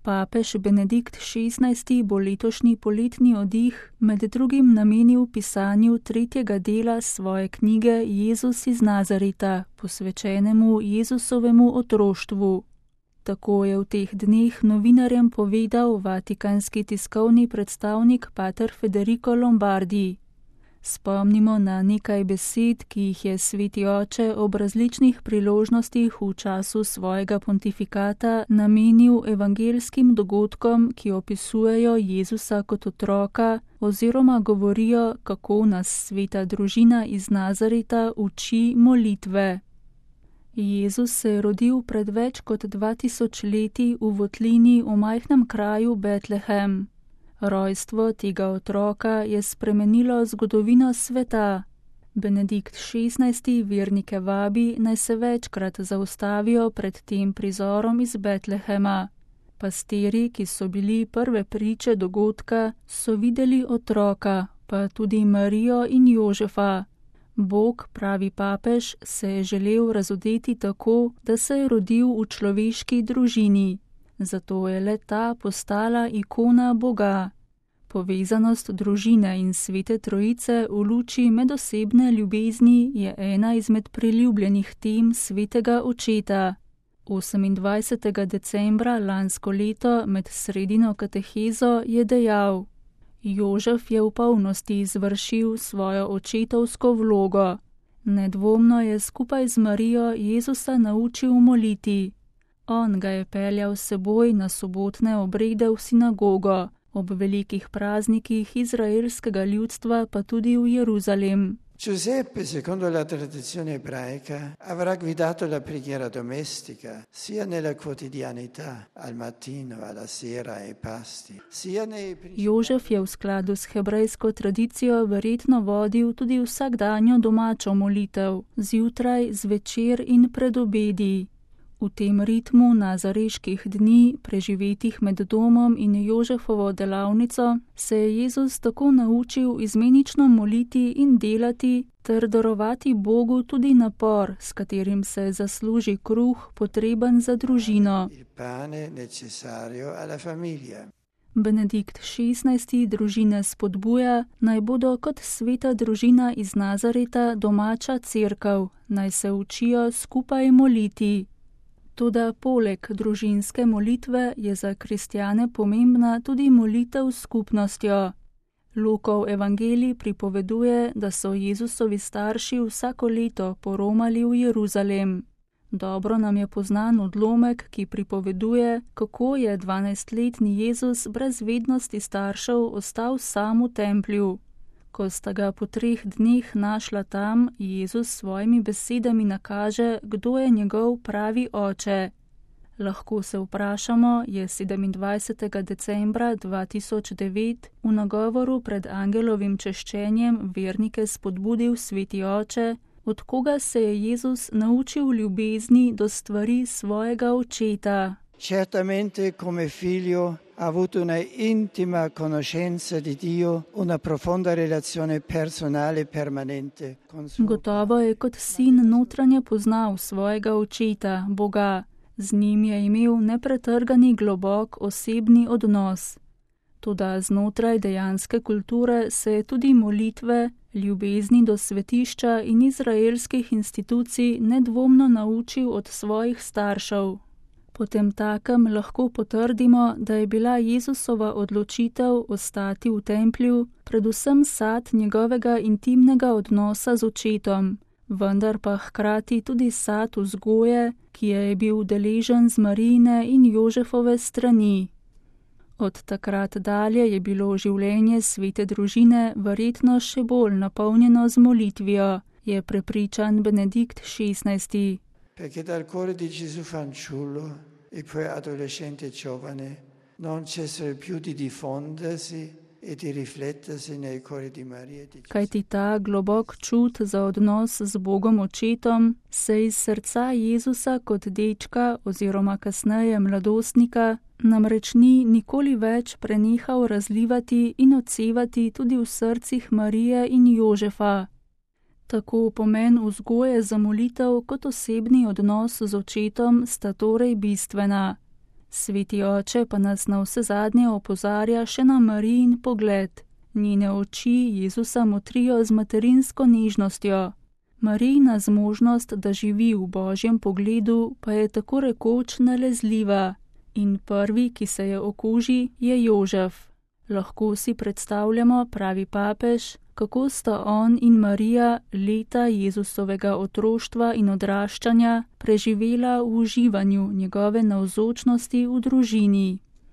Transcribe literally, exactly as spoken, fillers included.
Papež Benedikt šestnajsti bo letošnji poletni oddih med drugim namenil pisanju tretjega dela svoje knjige Jezus iz Nazareta, posvečenemu Jezusovemu otroštvu. Tako je v teh dneh novinarjem povedal vatikanski tiskovni predstavnik pater Federico Lombardi. Spomnimo na nekaj besed, ki jih je sveti oče ob različnih priložnostih v času svojega pontifikata namenil evangelskim dogodkom, ki opisujejo Jezusa kot otroka oziroma govorijo, kako nas sveta družina iz Nazareta uči molitve. Jezus se je rodil pred več kot dva tisoč leti v votlini v majhnem kraju Betlehem. Rojstvo tega otroka je spremenilo zgodovino sveta. Benedikt šestnajsti vernike vabi, naj se večkrat zaustavijo pred tem prizorom iz Betlehema. Pastiri, ki so bili prve priče dogodka, so videli otroka, pa tudi Marijo in Jožefa. Bog, pravi papež, se je želel razodeti tako, da se je rodil v človeški družini. Zato je le ta postala ikona Boga. Povezanost družine in svete trojice v luči medosebne ljubezni je ena izmed priljubljenih tem svetega očeta. osemindvajsetega decembra lansko leto med sredino katehezo je dejal: Jožef je v polnosti izvršil svojo očetovsko vlogo. Nedvomno je skupaj z Marijo Jezusa naučil moliti. On ga je peljal s seboj na sobotne obrede v sinagogo, ob velikih praznikih izraelskega ljudstva pa tudi v Jeruzalem. Giuseppe, secondo la tradizione ebraica, avrà guidato la preghiera domestica, sia nella quotidianità, al mattino, alla sera, ai pasti, sia nei... Jožef je v skladu s hebrejsko tradicijo verjetno vodil tudi vsakdanjo domačo molitev, zjutraj, zvečer in pred obedi. V tem ritmu nazareških dni, preživetih med domom in Jožefovo delavnico, se je Jezus tako naučil izmenično moliti in delati ter darovati Bogu tudi napor, s katerim se zasluži kruh, potreben za družino. Benedikt šestnajsti družine spodbuja, naj bodo kot sveta družina iz Nazareta domača cerkev, naj se učijo skupaj moliti. Toda poleg družinske molitve je za kristjane pomembna tudi molitev s skupnostjo. Lukov evangelij pripoveduje, da so Jezusovi starši vsako leto poromali v Jeruzalem. Dobro nam je poznan odlomek, ki pripoveduje, kako je dvanajstletni Jezus brez vednosti staršev ostal sam v templju. Ko sta ga po treh dneh našla tam, Jezus s svojimi besedami nakaže, kdo je njegov pravi oče. Lahko se vprašamo, je sedemindvajsetega decembra dva tisoč devet v nagovoru pred angelovim češčenjem vernike spodbudil sveti oče, od koga se je Jezus naučil ljubezni do stvari svojega očeta. Certamente come figlio ha avuto una intima conoscenza di Dio, una profonda relazione personale permanente con suo. Gotovo je kot sin notranje poznal svojega očeta, Boga. Z njim je imel nepretrgani globok osebni odnos. Toda znotraj dejanske kulture se je tudi molitve, ljubezni do svetišča in izraelskih institucij nedvomno naučil od svojih staršev. Potem takem lahko potrdimo, da je bila Jezusova odločitev ostati v templju predvsem sad njegovega intimnega odnosa z očetom, vendar pa hkrati tudi sad vzgoje, ki je bil deležen z Marijine in Jožefove strani. Od takrat dalje je bilo življenje svete družine verjetno še bolj napolnjeno z molitvijo, je prepričan Benedikt šestnajsti. Perché dal cuore di Gesù fanciullo e poi adolescente giovane non cessa più di diffondersi e di riflettersi nei cuori di Maria e di Gesù. Kajti ta globok čut za odnos z Bogom očetom se iz srca Jezusa kot dečka oziroma kasneje mladostnika namreč ni nikoli več prenehal razlivati in odsevati tudi v srcih Marije in Jožefa. Tako pomen vzgoje za molitev kot osebni odnos z očetom sta torej bistvena. Sveti oče pa nas na vse zadnje opozarja še na Marijin pogled. Njene oči Jezusa motrijo z materinsko nežnostjo. Marijina zmožnost, da živi v Božjem pogledu, pa je tako rekoč nalezljiva. In prvi, ki se je okuži, je Jožef. Lahko si predstavljamo, pravi papež, kako sta on in Marija leta Jezusovega otroštva in odraščanja preživela v uživanju njegove navzočnosti v družini.